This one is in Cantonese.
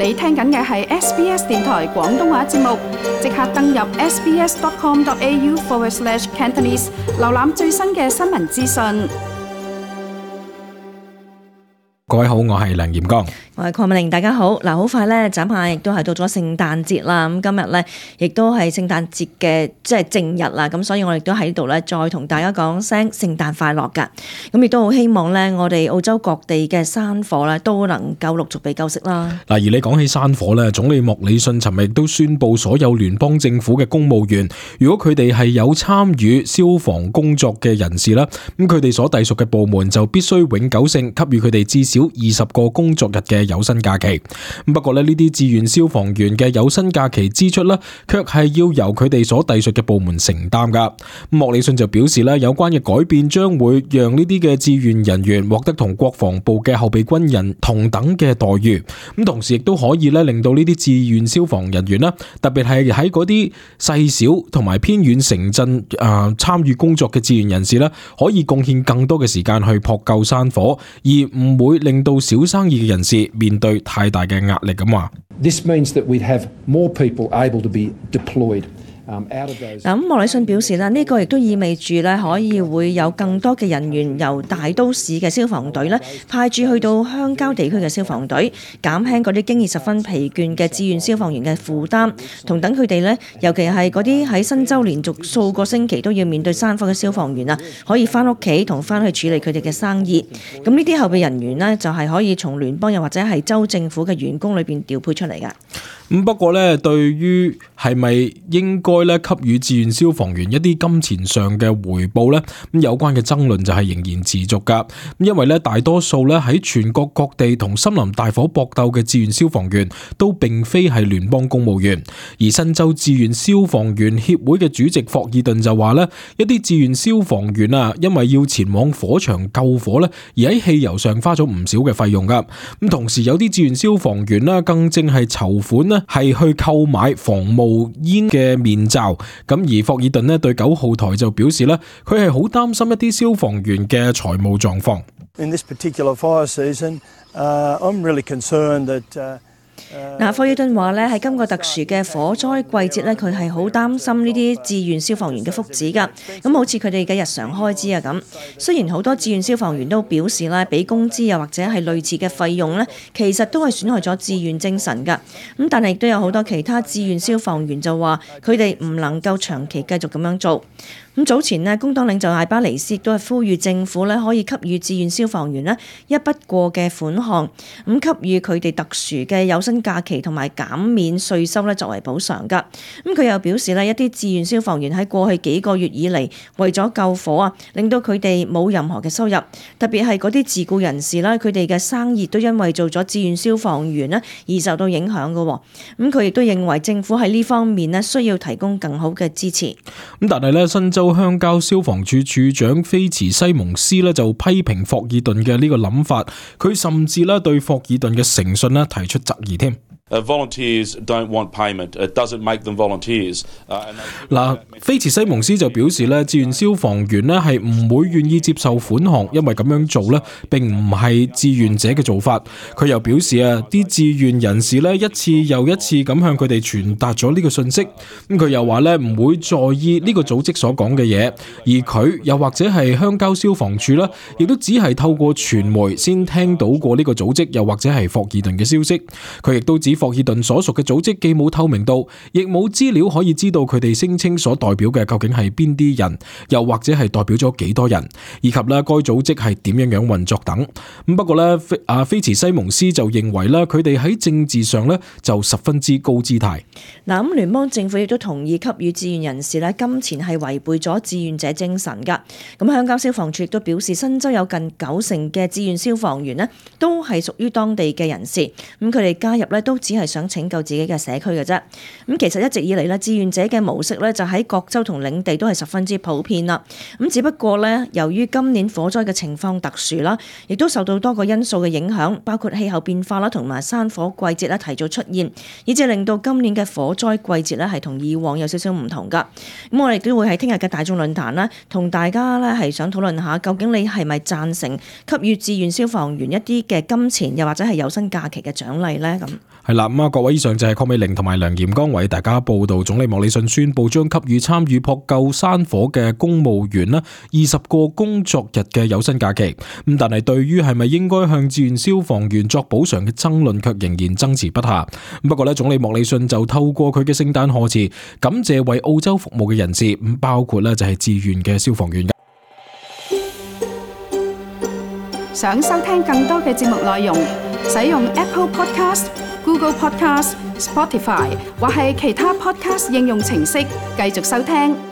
你聽緊嘅係 SBS 電台廣東話節目，即刻登入 sbs.com.au/Cantonese 瀏覽最新嘅新聞資訊。各位好，我係梁炎剛，我係鄺美玲，大家好。好快咧，眨下亦都係到咗聖誕節啦。咁今日咧，亦都係聖誕節嘅正日啦。咁所以我哋都喺度咧，再同大家講聲聖誕快樂㗎。咁亦都好希望咧，我哋澳洲各地嘅山火咧，都能夠陸續被救熄啦。嗱，而你講起山火咧，總理莫里遜尋日亦都宣布，所有聯邦政府嘅公務員，如果佢哋係有參與消防工作嘅人士啦，咁佢哋所隸屬嘅部門就必須永久性給予佢哋至少20個工作日嘅有薪假期。不過呢啲志願消防員嘅有薪假期支出呢，卻係要由佢哋所隸屬嘅部門承擔噶。莫里遜就表示呢，有關嘅改變將會讓呢啲嘅志願人員獲得同國防部嘅後備軍人同等嘅待遇。咁同時亦都可以呢，令到呢啲志願消防人員啦，特別係喺嗰啲細小同埋偏遠城鎮參與工作嘅志願人士呢，可以貢獻更多嘅時間去撲救山火，而唔會令到小生意嘅人士面對太大嘅壓力咁話。This means that we'd have more people able to be deployed.咁莫里遜表示呢個亦都意味住咧，可以會有更多嘅人員由大都市嘅消防隊咧派駐去到鄉郊地區嘅消防隊，減輕嗰啲經驗十分疲倦嘅志願消防員嘅負擔，同等佢哋咧，尤其係嗰啲喺新州連續數個星期都要面對山火嘅消防員啊，可以翻屋企同翻去處理佢哋嘅生意。咁呢啲後備人員呢，就係可以從聯邦又或者係州政府嘅員工裏邊調配出嚟㗎。不過咧，對於係咪應該咧給予志願消防員一啲金錢上嘅回報咧，咁有關嘅爭論就係仍然持續噶。因為咧，大多數咧喺全國各地同森林大火搏鬥嘅志願消防員都並非係聯邦公務員，而新州志願消防員協會嘅主席霍爾頓就話咧，一啲志願消防員啊，因為要前往火場救火咧，而喺汽油上花咗唔少嘅費用噶。咁同時有啲志願消防員啦，更正係籌款咧，係去購買防冒煙嘅面罩。咁而霍爾頓咧對9號台就表示咧，佢係好擔心一啲消防員嘅財務狀況。In this particular fire season, I'm really concerned that霍爾頓話咧，喺今個特殊嘅火災季節咧，佢係好擔心呢啲志願消防員嘅福祉㗎。咁好似佢哋嘅日常開支啊咁。雖然好多志願消防員都表示咧，俾工資又或者係類似嘅費用咧，其實都係損害咗志願精神㗎。咁但係亦都有好多其他志願消防員就話，佢哋唔能夠長期繼續咁樣做。咁早前呢，工黨領袖艾巴尼斯亦都係呼籲政府咧可以給予志願消防員呢一筆過嘅款項，咁給予佢哋特殊嘅有薪假期同埋減免稅收咧作為補償㗎。咁佢又表示咧，一啲志願消防員喺過去幾個月以嚟為咗救火啊，令到佢哋冇任何嘅收入，特別係嗰啲自僱人士啦，佢哋嘅生意都因為做咗志願消防員呢而受到影響㗎。咁佢亦都認為政府喺呢方面呢需要提供更好嘅支持。咁但係咧，新州鄉郊消防處處長菲茨西蒙斯咧就批評霍爾頓嘅呢個諗法，佢甚至咧對霍爾頓嘅誠信咧提出質疑添。Volunteers don't want payment. It doesn't make them volunteers. 菲茨西蒙斯就表示咧，志願消防員咧係唔會願意接受款項，因為咁樣做咧並唔係志願者嘅做法。佢又表示啊，啲志願人士咧一次又一次咁向佢哋傳達咗呢個信息。咁佢又話咧唔會在意呢個組織所講嘅嘢，而佢又或者係鄉郊消防處啦，亦都只係透過傳媒先聽到過呢個組織，又或者係霍爾頓嘅消息。佢亦都指霍爾頓所屬嘅組織既冇透明度，亦冇資料可以知道佢哋聲稱所代表嘅究竟係邊啲人，又或者係代表咗幾多人，以及咧該組織係點樣運作等。不過咧，菲茨西蒙斯就認為咧，佢哋喺政治上咧就十分之高姿態。咁聯邦政府亦都同意給予志願人士咧金錢係違背咗志願者精神㗎。咁鄉郊消防處亦都表示，新州有近90%嘅志願消防員呢都係屬於當地嘅人士，咁佢哋加入咧都只係想拯救自己嘅社區嘅啫。咁其實一直以嚟咧，志願者嘅模式咧就喺各州同領地都係十分之普遍啦。咁只不過咧，由於今年火災嘅情況特殊啦，亦都受到多個因素嘅影響，包括氣候變化啦，同埋山火季節咧提早出現，以致令到今年嘅火災季節咧係同以往有少少唔同噶。咁我哋都會喺聽日嘅大眾論壇啦，同大家咧係想討論下，究竟你係咪贊成給予志願消防員一啲嘅金錢，又或者係有薪假期嘅獎勵咧？咁係啦，咁各位，以上就係鄺美玲同埋梁炎剛為大家報道總理莫里遜宣布將給予參與撲救山火嘅公務員啦20個工作日嘅有薪假期。咁但係對於係咪應該向志願消防員作補償嘅爭論卻仍然爭持不下。不過總理莫里遜就透過佢嘅聖誕賀詞感謝為澳洲服務嘅人士，咁包括就係志願嘅消防員。想收聽更多嘅節目內容，使用 Apple Podcast、Google Podcast、Spotify 或係其他 Podcast 應用程式繼續收聽。